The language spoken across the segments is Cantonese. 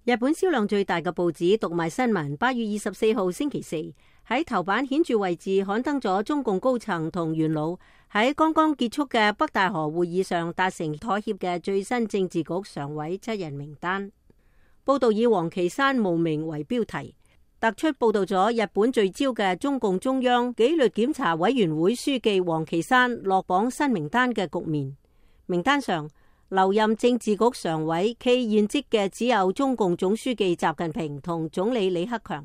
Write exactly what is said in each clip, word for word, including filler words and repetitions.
日本銷量最大嘅報紙《讀賣新聞》八月二十四號星期四喺頭版顯著位置刊登咗中共高層同元老喺剛剛結束嘅北戴河會議上達成妥協嘅最新政治局常委七人名單。報道以王岐山冒名為標題，突出報道咗日本聚焦嘅中共中央紀律檢查委員會書記王岐山落榜新名單嘅局面。名單上留任政治局常委暨現職嘅只有中共總書記習近平同總理李克強，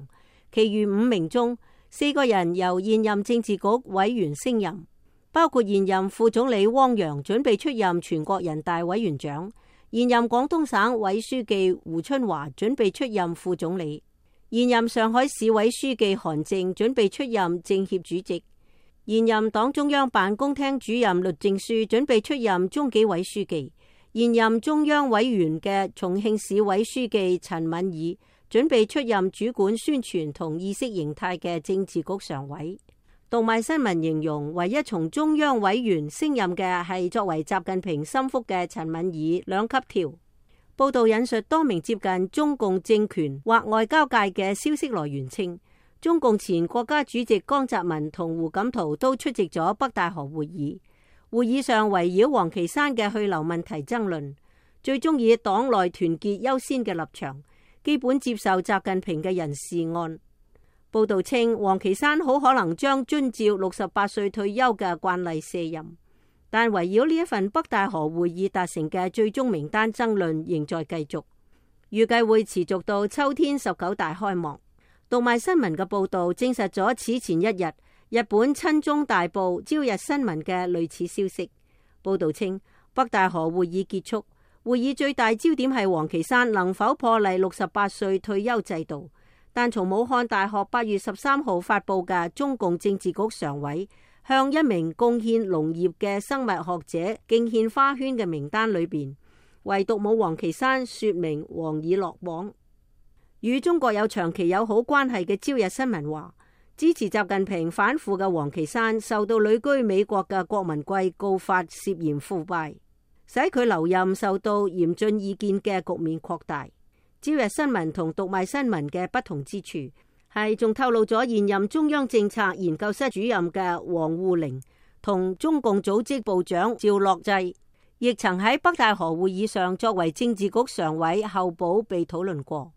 其餘五名中四個人由現任政治局委員升任，包括現任副總理汪洋準備出任全國人大委員長，現任廣東省委書記胡春華準備出任副總理，現任上海市委書記韓正準備出任政協主席，現任黨中央辦公廳主任栗戰書準備出任中紀委書記，現任中央委員嘅重慶市委書記陳敏爾準備出任主管宣傳同意識形態嘅政治局常委。讀賣新聞形容，唯一從中央委員升任嘅係作為習近平心腹嘅陳敏爾兩級調。報道引述多名接近中共政權或外交界嘅消息來源稱，中共前國家主席江澤民同胡錦濤都出席咗北戴河會議。會議上圍繞王岐山嘅去留問題爭論，最終以黨內團結優先嘅立場，基本接受習近平嘅人事案。報道稱，王岐山好可能將遵照六十八歲退休嘅慣例卸任，但圍繞呢一份北戴河會議達成嘅最終名單爭論仍在繼續，預計會持續到秋天十九大開幕。讀賣新聞嘅報道證實咗此前一日日本親中大報朝日新聞嘅類似消息。報道稱，北戴河會議結束，會議最大焦點係王岐山能否破例六十八歲退休制度，但從武漢大學八月十三號發佈嘅中共政治局常委向一名貢獻農業嘅生物學者敬獻花圈嘅名單裏邊，唯獨冇王岐山說明王已落榜。與中國有長期友好關係嘅朝日新聞話，支持習近平反腐嘅王岐山受到旅居美國嘅郭文貴告發涉嫌腐敗，使佢留任受到嚴峻意見嘅局面擴大。朝日新聞同讀賣新聞嘅不同之處係仲透露咗現任中央政策研究室主任嘅王滬寧同中共組織部長趙樂際亦曾喺北戴河會議上作為政治局常委候補被討論過。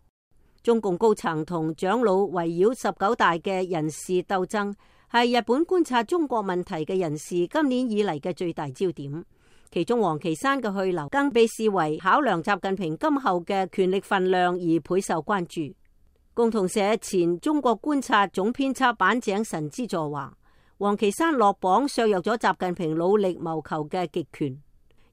中共高層同長老圍繞十九大嘅人事鬥爭係日本觀察中國問題嘅人士今年以嚟嘅最大焦點，其中王岐山嘅去留更被視為考量習近平今後嘅權力分量而倍受關注。共同社前中國觀察總編輯板井神之助話，王岐山落榜削弱咗習近平努力謀求嘅極權，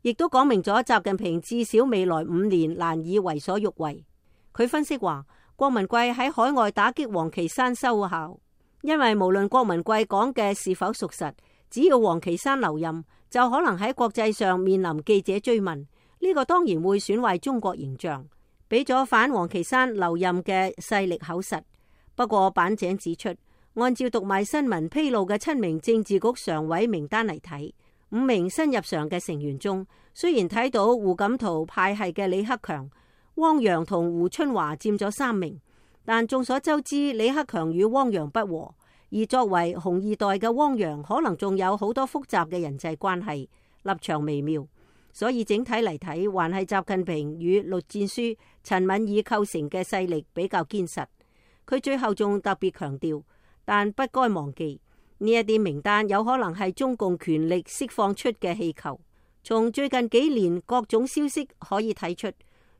亦都講明咗習近平至少未來五年難以為所欲為。佢分析話，郭文貴喺海外打擊王岐山收效，因為無論郭文貴講嘅是否屬實，只要王岐山留任，就可能喺國際上面臨記者追問，呢、這個當然會損壞中國形象，俾咗反王岐山留任嘅勢力口實。不過板井指出，按照讀賣新聞披露嘅七名政治局常委名單嚟睇，五名新入常嘅成員中，雖然睇到胡錦濤派系嘅李克強、汪洋同胡春華佔咗三名，但眾所周知，李克強與汪洋不和，而作為紅二代嘅汪洋可能仲有好多複雜嘅人際關係，立場微妙，所以整體嚟睇，還係習近平與栗戰書、陳敏爾構成嘅勢力比較堅實。佢最後仲特別強調，但不該忘記呢一啲名單有可能係中共權力釋放出嘅氣球。從最近幾年各種消息可以睇出，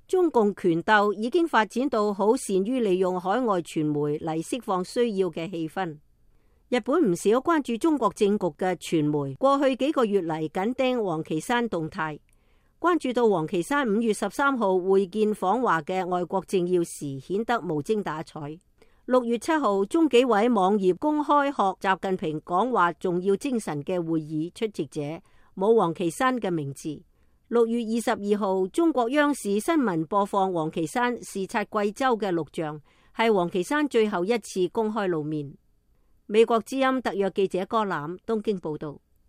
中共權鬥已經發展到好善於利用海外傳媒嚟釋放需要嘅氣氛。日本唔少關注中國政局嘅傳媒過去幾個月嚟緊盯王岐山動態，關注到王岐山五月十三號會見訪華嘅外國政要時顯得無精打采。六月七號中紀委網頁公開學習近平講話重要精神嘅會議出席者冇王岐山嘅名字。六月二十二號，中國央視新聞播放王岐山視察貴州嘅錄像，係王岐山最後一次公開露面。美國之音特約記者柯攬東京報道。